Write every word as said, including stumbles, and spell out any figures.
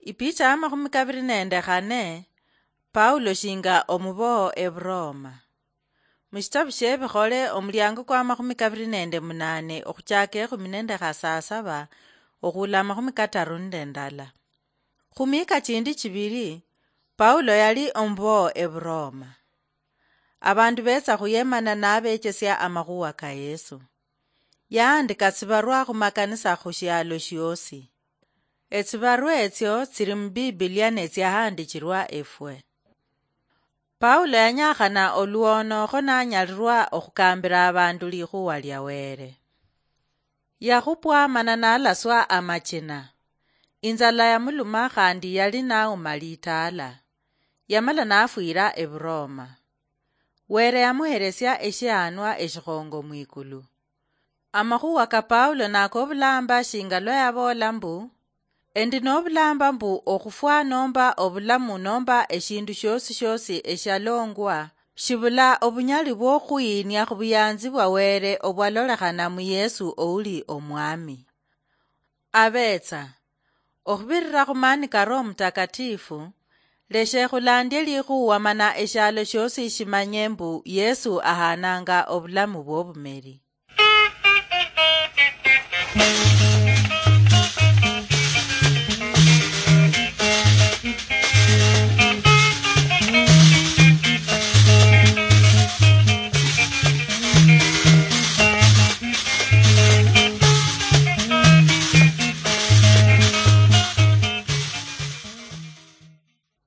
Ipicha ya makhumi kabiri nende khane. Paulo shinga omuboho Eburoma. Mushitabu shiebikhole omuliango kwa makhumi kabiri nende munane okhuchaka ekhumi nende khasasaba okhula makhumi kataru nende ndala. Khumiika chindi chibiri, Paulo yali omuboho Eburoma. Abandu betsa khuyemana nabechesia amakhuwa ka Yesu. Yaandika tsibarwa khumakanisa khushialo shiosi. Etsibarwa etsio tsili mu Bibilia netsiahandichirwa efwe. Paulo yanyakhana oluono kho nanyalirwa okhukambira abandu likhuwa lia Wele. Yakhupwa mana nalaswa amachina. Inzala yamuluma khandi yali nauma litaala. Yamala nafwira Eburoma. Wele yamuheresia eshihanwa eshikhongo mwikulu. Amakhuwa ka Paulo nakobulamba shinga lwa yaboola mbu, endi nobulamba mbu okhufwa nomba obulamu nomba eshindu shiosi shiosi eshalongwa, shibula obunyali bwokhuyinia khubuyanzi bwa Wele obwalolekhana mu Yesu ouli Omwami. Abetsa, okhubirira khumaani ka Roho Mutakatifu, leshe khulandie likhuwa mana eshialo shiosi shimanye mbu Yesu ahananga obulamu bwobumeri.